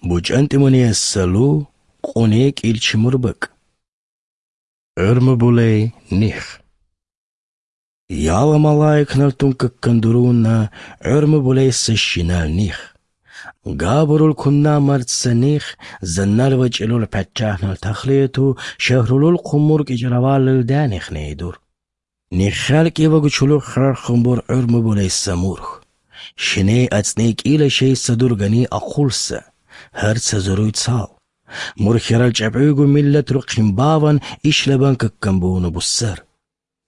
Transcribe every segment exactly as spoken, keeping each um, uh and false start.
بوچنت منی السلو قونيك إلش مربك ارم بولي نيخ يالا ملايك نلتونك كندرونا ارم بولي سشينال نيخ قابرول كنا مرتسنيخ زنال وجلول بچاه نلتخليتو شهرولول قمورك اجروال الدانيخ نيدور نيخالك يوغو چلو خرار خمبور ارم بولي سمورخ شني اتنيك إلا شي صدورغني أقولسا هرتس زروي تصال مرخيرال جبعوغو ملت رو قنباوان إشلبان ككنبونو بسر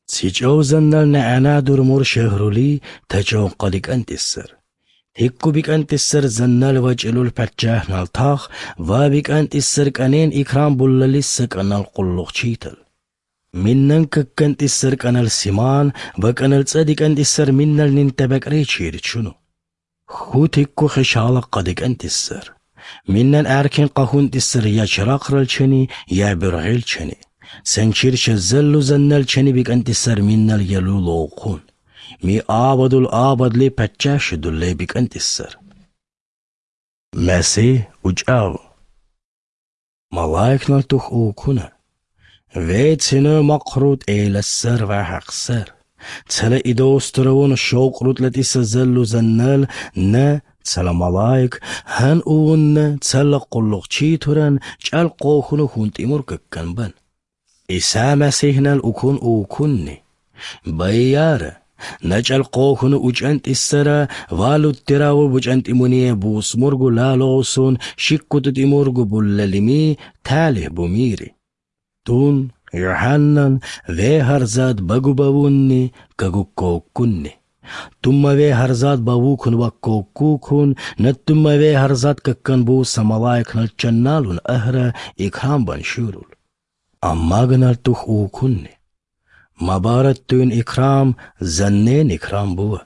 تيجو زنال نعنا دور مور شهرولي تجو قدك أنت السر هكو بك أنت السر زنال وجلول پچاه نالتاخ و بك أنت السر كانين إكرام بولاليسك أنال قلوغ چيتل منن ككنت السر كانال سيمان وكانال تصدق أنت السر منال ننتبك ريچير چونو خوت هكو خشالة قدك أنت السر منن أركن قهون السر يا شراقرل چني يا برغيل چني سنشير شزلو زنال چني بك أنت السر منال يلو لوقون مي آبادو الآباد لي پچاش دول لي بك أنت السر مسيح وجاو ملايك نالتوخ اوكونا ويت سنو مقرود إلى السر وحق سر تسلا إدوسترون الشوق رود لتي سزلو زنال نا تسلا ملايك هن اون تسلا قلوغ چيتورن چال قوخونو خونت إمور ككنبن إسا مسيحنا الأكون أوكوني بيارة نجال قوخونو أجانت السرا والو التراو بجانت إمونيه بوس مرغو لالوسون شكوت إمورغو بولاليمي تاله بوميري تون يوحنن وي هرزاد بغو باوني كغو كوكوني تم وي هرزاد باوكون وكوكوكون نتم وي هرزاد ككن بو سملايك نلچنالون أهرا إكرام بانشورول أما غنال توخ اوكوني مبارتون إكرام زنين إكرام بوا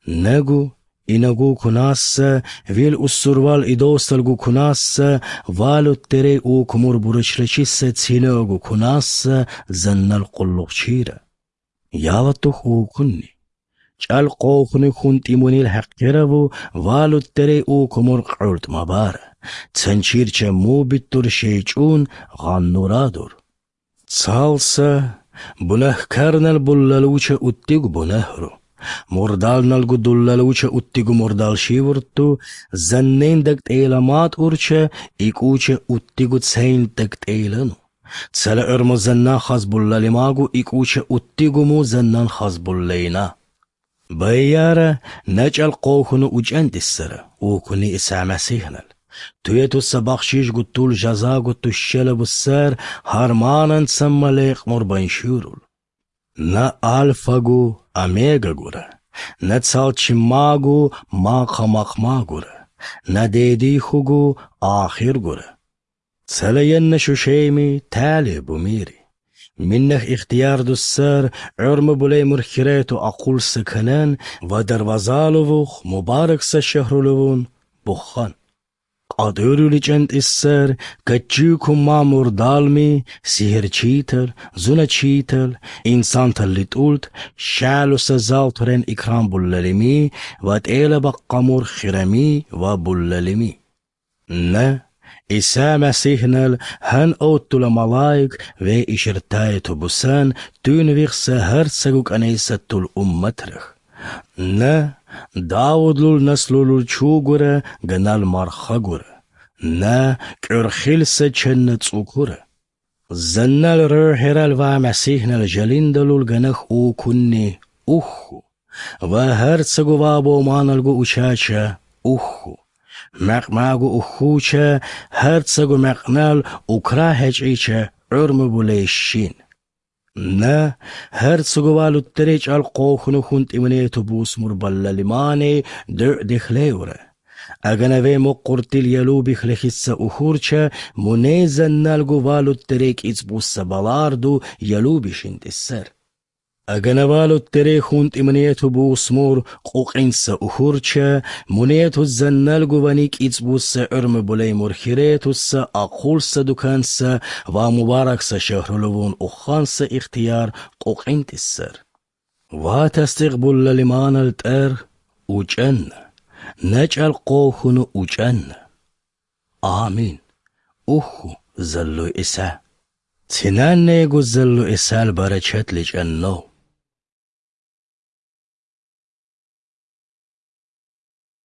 نغو إنغو كناسا ويل أسروال إدوستلغو كناسا والو تري او كمور برشرشيسا تسينوغو كناسا زنال قلوغ چيرا يالتوخ او كني چال قوخني خونتي مني الحقيرو والو تري او كمور قرد مبارا تسنشير چه مو بيتور شيچون غانورادور تسالسا بنه كارنال بولالوچه اتيغ بنهرو مردال نالغو دولالوچه اتيغو مردال شيورتو زنين دكت ايلامات اورچه ايكوچه اتيغو تسين دكت ايلانو تسلا ارمو زنان خاز بولاليماغو ايكوچه اتيغو مو زنان خاز بولالينا بيارة نجال قوخنو اجانت السر اوكوني اسا مسيحنال تويتو السباخشيش قطول جزا قطو الشلب السر هارمانا تسمى ليق مربان شورول نا ألفاغو أميغا غورا نا تسالچماغو ماقا مقما غورا نا ديديخوغو آخر غورا تسالين شوشيمي تالي بوميري منخ اختيار دو السر عرم بولي مرخيريتو أقول سكنان ودروازالووخ مبارك سشهرولوون بخان قادرو لجنت السر كتجيكو مامور دالمي سيهر چيتل زونا چيتل انسان تل تقولت شالو سزال ترين اكرام بولاليمي واتيلا بقامور خرمي وبولاليمي نا إسا مسيحنال هن أوتو لملايك وي إشرتايتو بسان تون ويخسا هرساقوك أنيساتو الأمترخ نا داود لول نسلول چوغورا غنال مرخغورا نا كرخيلسا چنت سوكورا زنال رهرال و مسيحنال جليندلول غنخ او كني اوخو و هرساقو وابو مانالغو اوشاچا اوخو مقماغو اوخوچا هرساقو مقنال اوكرا هجعيچا عرم بوليشين نا هرسغو والو تريج القوخنو خونت إمنيتو بوس مربلا لماني در دخليورا أغنوي مقرتل يلو بخلخيسا أخورچا منيزن نالغو والو تريج إزبوسا بالاردو يلو بشنت السر أغنوالو تري خونت إمنيتو بوس مور قوقينسا أخورچا منيتو زنالغو وانيك إزبوسا عرم بولي مرخيريتوسا أقولسا دوكانسا ومباركسا شهرلوون أخانسا اختيار قوقينت السر واتستقبل للمان التر وجن نجعل قوخنو وجن آمين. أخو زلو إسا تناني قو زلو إسا البركات لجأنو